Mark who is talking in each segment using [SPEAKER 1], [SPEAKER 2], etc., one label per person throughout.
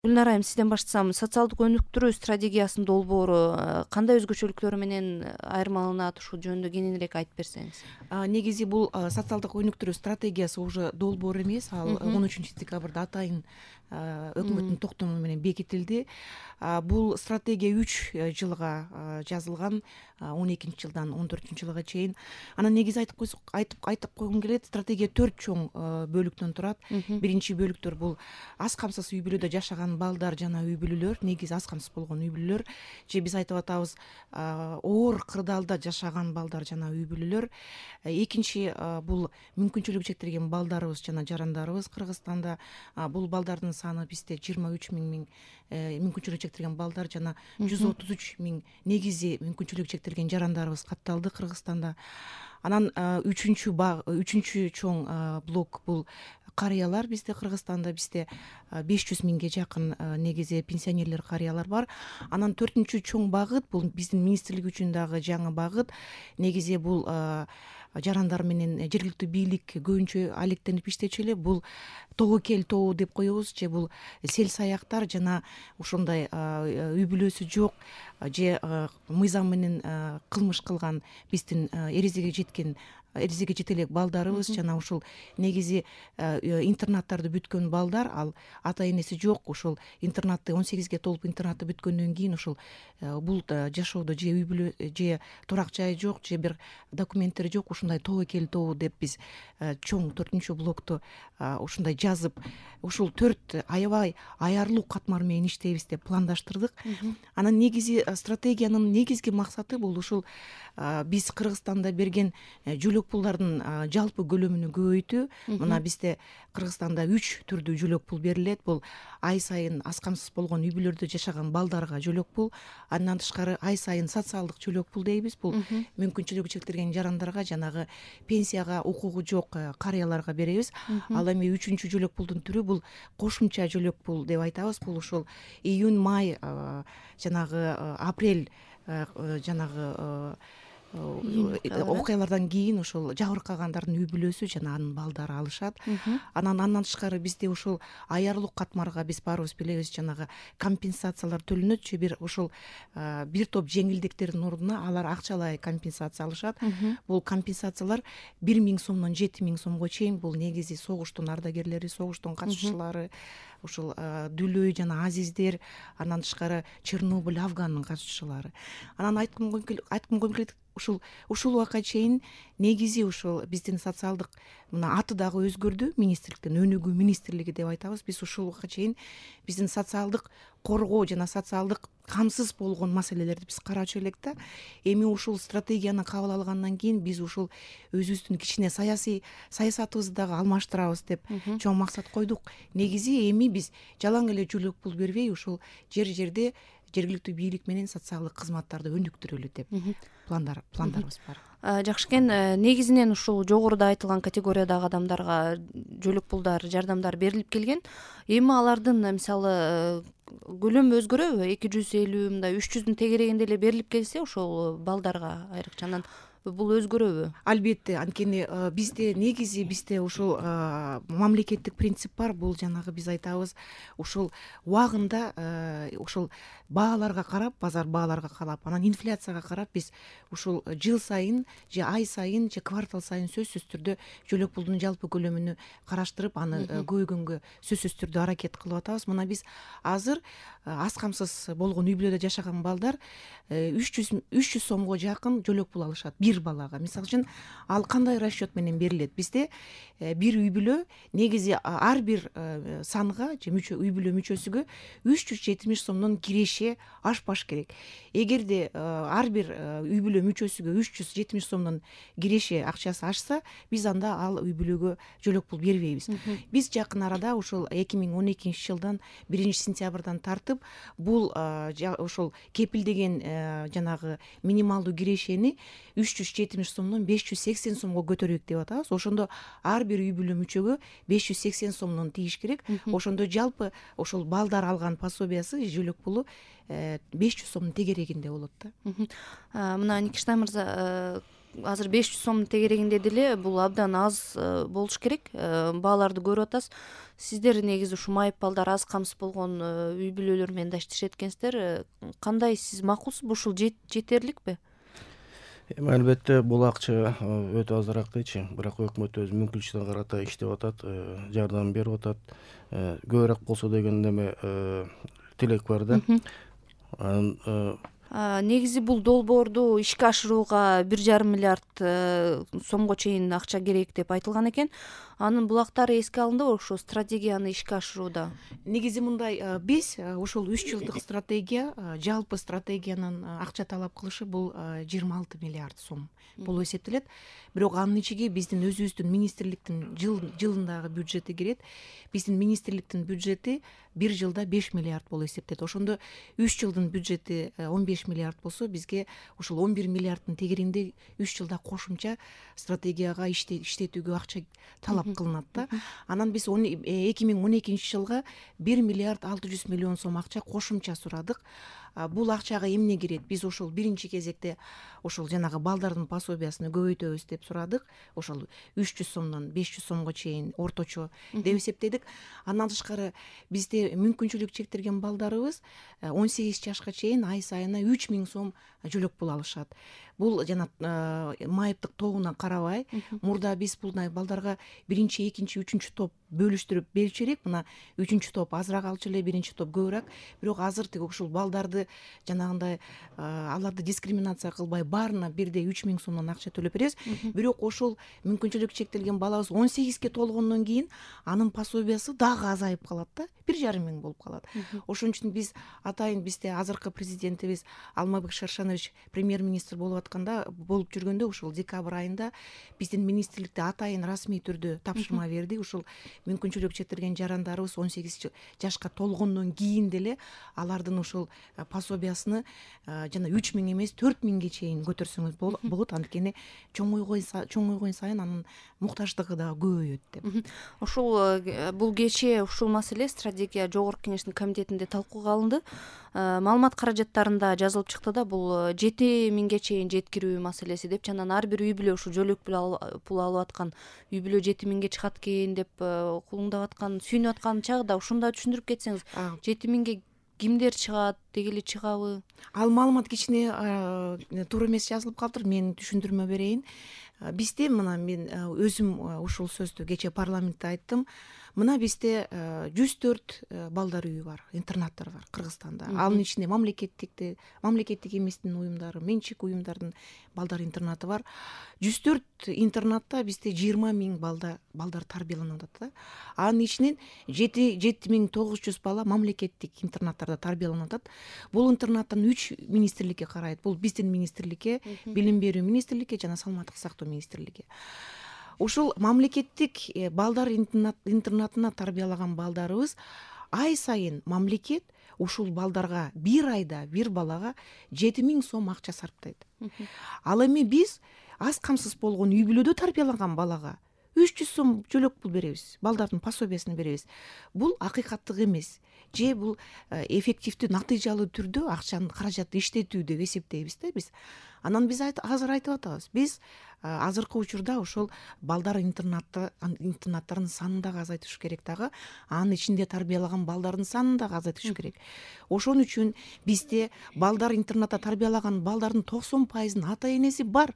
[SPEAKER 1] Гүлнар айым, сизден баштасам, социалдык өнүктүрүү стратегиясынын долбоору кандай өзгөчөлүктөрү менен айырмаланат, ушул жөнүндө кененирээк айтып берсеңиз.
[SPEAKER 2] Негизи бул социалдык өнүктүрүү стратегиясы уже долбоор эмес, ал 13 декабрда атайын өкмөттүн токтому менен бекитилди. Бул стратегия 3 жылга жазылган, 12 жылдан 14 жылга чейин. Анан негизи айтып койгум келет, стратегия 4 чоң бөлүктөн турат. Биринчи бөлүктөр бул аз камсыз үй бүлөдө жашаган балдар жана үй бүлөлөр, негизи аз камсыз болгон үй бүлөлөр, же биз айтып атабыз оор кырдаалда жашаган балдар жана үй бүлөлөр. Экинчи бул мүмкүнчүлүгү чектелген балдарыбыз жана жарандарыбыз Кыргызстанда. Бул балдардын саны бизде 23 миң мүмкүнчүлүгү чектелген балдар жана 133 миң негизи мүмкүнчүлүгү чектелген жарандарыбыз катталды Кыргызстанда. Анан үчүнчү чоң блок бул карыялар. Бизде Кыргызстанда 500 миңге жакын негизи пенсионерлер, карыялар бар. Анан 4-чү чоң багыт бул биздин министрлик үчүн дагы жаңы багыт. Негизи бул жарандар менен жергиликтүү бийлик көбүнчө алектенип иштечү эле. Бул тобокел тобу деп коебуз, же бул сел саяктар жана ошондой үй бүлөсү жок, же мыйзам менен кылмыш кылган биздин эрезеге жете элек балдарыбыз жана ушул негизи интернаттарды бүткөн балдар, ал ата энеси жок, ушул интернатты 18ге толуп интернатты бүткөндөн кийин ушул бул жашоодо же үй бүлө же турак жай жок, же бир документтери жок, ушундай тобокел тобу деп биз чоң 4-чү блокту ушундай жазып, ушул 4 аябай аярлуу катмар менен иштейбиз деп пландаштырдык. Анан негизи стратегиянын негизги максаты бул ушул биз Кыргызстанда берген жөлөк пулдардын жалпы көлөмүнү көбөйтүү. Мына бизде Кыргызстанда 3 түрдүү жөлөк пул берилет. Бул ай сайын аз камсыз болгон үй бүлөлөрдө жашаган балдарга жөлөк пул, андан тышкары ай сайын социалдык жөлөк пул дейбиз. Бул мүмкүнчүлүгү чектелген жарандарга, жанагы пенсияга укугу жок карыяларга беребиз. Ал эми 3-чү жөлөк пулдун түрү бул кошумча жөлөк пул деп айтабыз. Бул ушул июнь, май, жанагы апрель жанагы окуялардан кийин ушул жабыркагандардын үй бүлөсү жана анын балдары алышат. Андан тышкары бизде ушул аярлуу катмарга биз баарыбыз билебиз, жанагы компенсациялар төлөнөт, же бир ушул бир топ жеңилдиктердин ордуна алар акчалай компенсация алышат. Бул компенсациялар 1 миң сомдон 7 миң сомго чейин. Бул негизи согуштун ардагерлери, согуштун катышуучулары, ушул Дүлөй жана Азиздер, андан тышкары Чернобыль, Афгандын катышуучулары. Анан айткым койгум келет, ушул убакка чейин негизи ушул биздин социалдык мына аты дагы өзгөрдү, министрликтен өнүгүү министрлиги деп айтабыз. Биз ушул убакка чейин биздин социалдык коргоо жана социалдык камсыз болгон маселелерди биз карачу элек да. Эми ушул стратегияны кабыл алгандан кийин биз ушул өзүбүздүн кичине саясатыбызды дагы алмаштырабыз деп чоң максат койдук. Негизи эми биз жалаң эле жөлөк пул бербей, ушул жерде жергиликтүү бийлик менен социалдык кызматтарды өнүктүрөлү деп пландарыбыз бар.
[SPEAKER 1] Жакшы экен. Негизинен ушул жогоруда айтылган категориядагы адамдарга жөлөк пулдар, жардамдар берилип келген. Эми алардын мисалы көлөмү өзгөрөбү? 250, мындай 300дүн тегерегинде эле берилип келсе ошол балдарга айрыкча бул өзгөрөбү?
[SPEAKER 2] Албетте, анткени бизде ушул мамлекеттик принцип бар. Бул жанагы биз айтабыз, ушул убагында ушул бааларга карап, базар бааларга карап, анан инфляцияга карап биз ушул жыл сайын же ай сайын же квартал сайын сөзсүз түрдө жөлөк пулдун жалпы көлөмүнү караштырып, аны көбөйгөнгө сөзсүз түрдө аракет кылып атабыз. Мына биз азыр аз камсыз болгон үй бүлөдө жашаган балдар 300 сомго жакын жөлөк пул алышат бир балага. Мисалы үчүн ал кандай расчет менен берилет? Бизде бир үй бүлө негизи ар бир санга же үй бүлө мүчөсүгө 370 сомдон киреше ашпаш керек. Эгерде ар бир үй бүлө мүчөсүгө 370 сомдон киреше акчасы ашса, биз анда ал үй бүлөгө жөлөк пул бербейбиз. Биз жакын арада ушул 2012 жылдан 1-сентябрдан тартып бул ошол кепилдеген жанагы минималдуу кирешени 370 сомдон 580 сомго көтөрөйүк деп атабыз. Ошондо ар бир үй бүлө мүчөгө 580 сомдон тийиш керек. Ошондо жалпы ошол балдар алган пособиясы, жөлөк пулу 500 сомдун тегерегинде болот да.
[SPEAKER 1] Мына Никиштай мырза, азыр 500 сомдун тегерегинде деле бул абдан аз болуш керек. Бааларды көрүп атасыз. Сиздер негизи ушу майып балдар аз камсыз болгон үй бүлөлөр менен да иштешет экенсиздер. Кандай сиз макулсузбу? Ушул жетерликпи?
[SPEAKER 3] Эми албетте бул акча өтө азыраак дейчи, бирок өкмөт өз мүмкүнчүлүгүнө карата иштеп атат, жардам берип атат. Көбүрөөк болсо деген неме тилек бар да.
[SPEAKER 1] Негизи бул долбоорду ишке ашырууга 1,5 миллиард сомго чейин акча керек деп айтылган экен. Анын булактары эске алындыбы ошо стратегияны ишке ашырууда?
[SPEAKER 2] Негизи мындай, биз ушул 3 жылдык стратегия, жалпы стратегиянын акча талап кылышы бул 26 миллиард сом болуп эсептелет. Бирок анын ичиге биздин өзүбүздүн министрликтин жылындагы бюджети кирет. Биздин министрликтин бюджети бир жылда 5 миллиард болуп эсептелет. Ошондо 3 жылдын бюджети 15 миллиард болсо, бизге ушул 11 миллиарддын тегерегинде 3 жылда кошумча стратегияга иштетүүгө акча талап кылынат да. Анан биз 2012 жылга 1 миллиард 600 миллион сом акча кошумча сурадык. Бул акчага эмне кирет? Биз ошол биринчи кезекте ошол жанагы балдардын пособиясын көбөйтөбүз деп сурадык. Ошол 300 сомдон 500 сомго чейин орточо деп эсептедик. Андан тышкары бизде мүмкүнчүлүк чектелген балдарыбыз 18 жашка чейин ай сайына 3000 сом жөлөк пул алышат. Бул жана майыптык тобуна карабай, мурда биз булдай балдарга биринчи, экинчи, үчүнчү топ бөлүштүрүп берчү элек. Мына үчүнчү топ азыраак алчу эле, биринчи топ көбүрөөк. Бирок азыр тиги ушул балдарды жанагындай аларды дискриминация кылбай баарына бирдей 3000 сомдон акча төлөп беребиз. Бирок ошол мүмкүнчүлүк чектелген балабыз 18ге толгондон кийин анын пособиясы дагы азайып калат да, 1,5 миң болуп калат. Ошон үчүн биз атайын бизде азыркы президентибиз Алмазбек Шаршенович премьер-министр болуп атканда, болуп жүргөндө ушул декабрь айында биздин министрликте атайын расмий түрдө тапшырма берди. Ушул мүмкүнчүлүк чектелген жарандарыбыз 18 жашка толгондон кийин деле алардын ушул пособиясыны жана 3000 эмес 4000ге чейин көтөрсөңүз болот. Анткени чоңойгон сайын анын муктаждыгы да көбөйөт деп.
[SPEAKER 1] Ошол бул кечээ ушул маселе стратегия жогорку кеңештин комитетинде талкууга алынды. Маалымат каражаттарында жазылып чыкты да, бул 7000ге чейин жеткирүү маселеси деп, анан ар бир үй бүлө ушу жөлөк пул алып аткан үй бүлө 7000ге чыгат экен деп кулуңдап аткан, сүйүнүп аткан чагда ушунда түшүндүрүп кетсеңиз, 7000ге кимдер чыгат, деги эле чыгабы?
[SPEAKER 2] Ал маалымат кичине туура эмес жазылып калыптыр. Мен түшүндүрмө берейин. Бизде мына мен өзүм ушул сөздү кечээ парламентте айттым. Мына бизде 104 балдар үйү бар, интернаттар бар Кыргызстанда. Анын ичинде мамлекеттик эместин уюмдары, менчик уюмдардын балдар интернаты бар. 104 интернатта бизде 20 миң балдар тарбияланып атат да. Анын ичинен 7900 бала мамлекеттик интернаттарда тарбияланып атат. Бул интернаттан 3 министрликке карайт. Бул биздин министрликке, билим берүү министрликке жана саламаттык сактоо министрликке. Ушул мамлекеттик балдар интернатына тарбиялаган балдарыбыз ай сайын мамлекет ушул балдарга бир айда бир балага 7000 сом акча сарптайт. Ал эми биз аз камсыз болгон үй бүлөдө тарбиялаган балага 300 сом жөлөк пул беребиз, балдардын пособиясын беребиз. Бул акыйкаттык эмес. Же бул эффективдүү, натыйжалуу түрдө акчаны, каражатты иштетүү деп эсептейбиз да биз. Анан биз азыр айтып атабыз. Биз азыркы учурда ошол балдар интернаттарын санын дагы азайтыш керек дагы, анын ичинде тарбиялаган балдардын санын дагы азайтыш керек. Ошон үчүн бизде балдар интернатта тарбиялаган балдардын 90% ата энеси бар.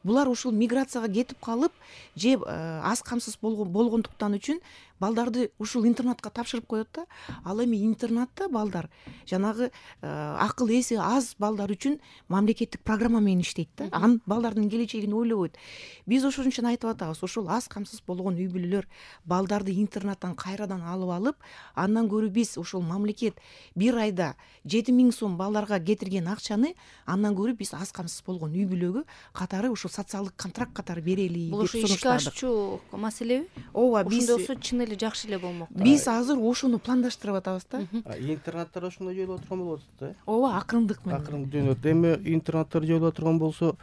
[SPEAKER 2] Булар ушул миграцияга кетип калып, же аз камсыз болгондуктан үчүн балдарды ушул интернатка тапшырып коет да. Ал эми интернатта балдар жанагы акыл эси аз балдар үчүн мамлекеттик программа менен иштейт да. Анын балдардын келечегин ойлобойт. Биз ошон үчүн айтып атабыз, ушул аз камсыз болгон үй бүлөлөр балдарды интернаттан кайрадан алып, андан көрү биз ушул мамлекет бир айда 7000 сом балдарга кетирген акчаны андан көрү биз аз камсыз болгон үй бүлөгө катары ушул социалдык контракт катары берели деп сунуштадык.
[SPEAKER 1] Бул ишке ашчу маселеби?
[SPEAKER 2] Ооба, биз
[SPEAKER 1] ошондо чын эле жакшы эле болмок.
[SPEAKER 2] Биз азыр ошону пландаштырып атабыз да.
[SPEAKER 3] Интернаттар ошондой жолуп отурган болот да.
[SPEAKER 2] Ооба, акырындык менен.
[SPEAKER 3] Акырындык жөнөт. Эми интернаттар жолуп отурган болсо,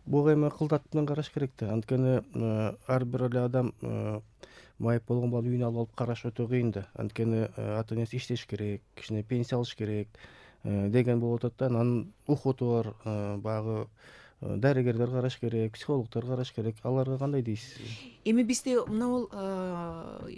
[SPEAKER 3] буга эми кылдат менен караш керек да. Анткени ар бир эле адам майып болгон баланы үйүнө алып караш өтө кыйын да. Анткени ата энеси иштеш керек, кичине пенсия алыш керек деген болуп атат да. Анын ухуту бар, баягы дарыгерлер караш керек, психологдор караш керек. Аларга кандай дейсиз?
[SPEAKER 2] Эми бизде мына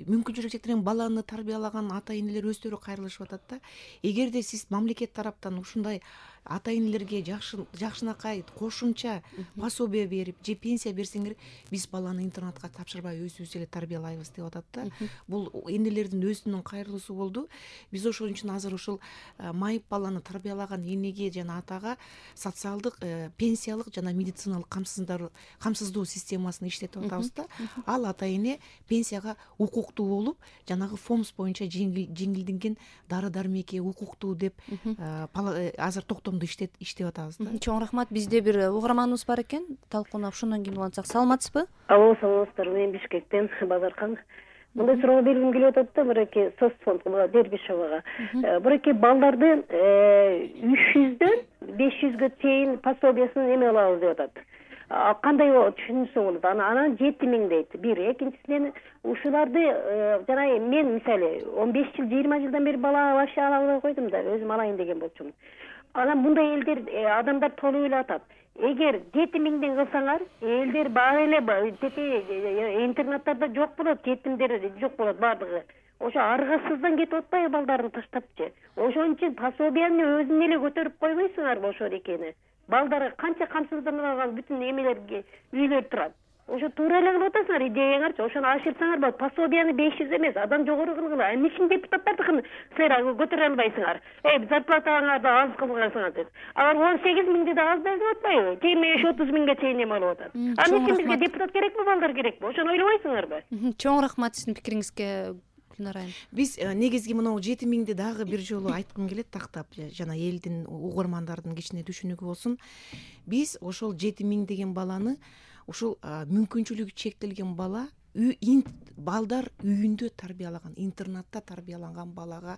[SPEAKER 2] мүмкүнчүлүгү чектелген баланы тарбиялаган ата энелер өздөрү кайрылышып атат да. Эгерде сиз мамлекет тараптан ушундай ата энелерге жакшынакай кошумча пособие берип же пенсия берсеңер, биз баланы интернатка тапшырбай өзүбүз эле тарбиялайбыз деп атат да. Бул энелердин өзүнүн кайрылуусу болду. Биз ошон үчүн азыр ушул майып баланы тарбиялаган энеге жана атага социалдык, пенсиялык жана медициналык камсыздоо системасын иштетип атабыз да. Ал ата эне пенсияга укуктуу болуп, жанагы ФОМС боюнча жеңилденген дары дармекке укуктуу деп азыр токтомдо иштеп атабыз да.
[SPEAKER 1] Чоң рахмат. Бизде бир угарманыбыз бар экен. Талкууна ошондон кийин улантсак. Саламатсызбы?
[SPEAKER 4] Алло, саламатсыздарбы? Мен Бишкектен Базаркан. Мындай суроо бергим келип атат да, мынакей соцфонд Дербишевага. Мынакей балдардын 300дөн 500гө чейин пособиясын эме алабыз деп атат. Кандай түшүнсө болот? Анан 7000 дейт. Бир, экинчисинен ушуларды жана мен мисалы 15 жыл, 20 жылдан бери бала вообще ала албай койдум да, өзүм алайын деген болчумун. Анан мындай элдер, адамдар толуп эле атат. Эгер 7000ден кылсаңар, элдер баары эле интернаттарда жок болот, жетимдер жок болот баардыгы. Ошо аргасыздан кетип атпайбы балдарын таштапчы? Ошон үчүн пособияны өзүн эле көтөрүп койбойсуңарбы ошол экени? Балдары канча камсызданып алган бүтүн эмелерге үйлөр турат. Ошо туура эле кылып атасыңар, идеяңарчы. Ошону ашырсаңар болот. Пособияны 500 эмес, адан жогору кылгыла. Эмне депутаттардыкын силер көтөрө албайсыңар? Зарплатаңарды аз кылгансыңар деп. Алар 18.000 да аз деп атпайбы? 25-30.000ге чейин эме алып атат. Эмне үчүн бизге депутат керекпи, балдар керекпи? Ошону ойлобойсуңарбы?
[SPEAKER 1] Чоң рахмат сиздин пикириңизге.
[SPEAKER 2] Биз негизги мынау 7000 дагы бир жолу айткым келет, тактап жана элдин, угармандардын кичине түшүнүгү болсун. Биз ошол 7000 деген баланы, ушул мүмкүнчүлүгү чектелген бала балдар үйүндө тарбиялаган, интернатта тарбияланган балага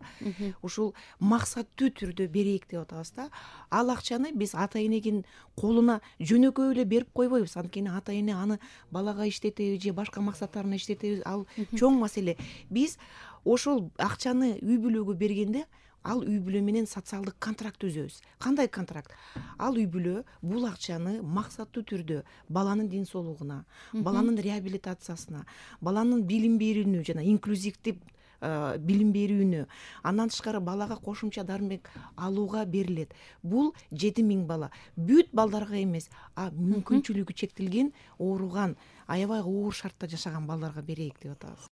[SPEAKER 2] ушул максаттуу түрдө берейик деп атабыз да. Ал акчаны биз ата эненин колуна жөнөкөй эле берип койбойбуз. Анткени ата эне аны балага иштетеби же башка максаттарына иштетеби, ал чоң маселе. Биз ошол акчаны үй бүлөгө бергенде ал үй бүлө менен социалдык контракт түзөбүз. Кандай контракт? Ал үй бүлө бул акчаны максаттуу түрдө баланын ден соолугуна, баланын реабилитациясына, баланын билим берүүнү жана инклюзивдүү билим берүүнү, андан тышкары балага кошумча дармек алууга берилет. Бул 7000 бала. Бүт балдарга эмес, мүмкүнчүлүгү чектелген, ооруган, аябай оор шартта жашаган балдарга берейик деп атабыз.